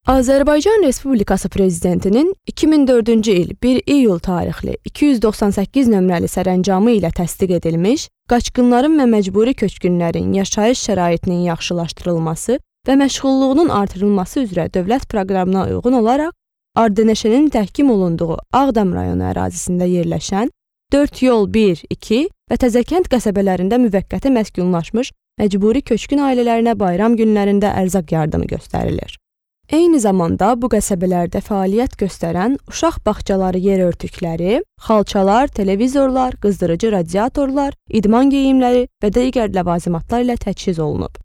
Azərbaycan Respublikası Prezidentinin 2004-cü il 1 iyul tarixli 298 nömrəli sərəncamı ilə təsdiq edilmiş qaçqınların və məcburi köçkünlərin yaşayış şəraitinin yaxşılaşdırılması və məşğulluğunun artırılması üzrə dövlət proqramına uyğun olaraq Ardeneşenin təhkim olunduğu Ağdam rayonu ərazisində yerləşən 4 yol 1, 2 və Təzəkənd qəsəbələrində müvəqqəti məskunlaşmış məcburi köçkün ailələrinə bayram günlərində ərzaq yardımı göstərilir. Eyni zamanda bu qəsəbələrdə fəaliyyət göstərən uşaq bağçaları yer örtükləri, xalçalar, televizorlar, qızdırıcı radiatorlar, idman geyimləri və digər ləvazimatlar ilə təchiz olunub.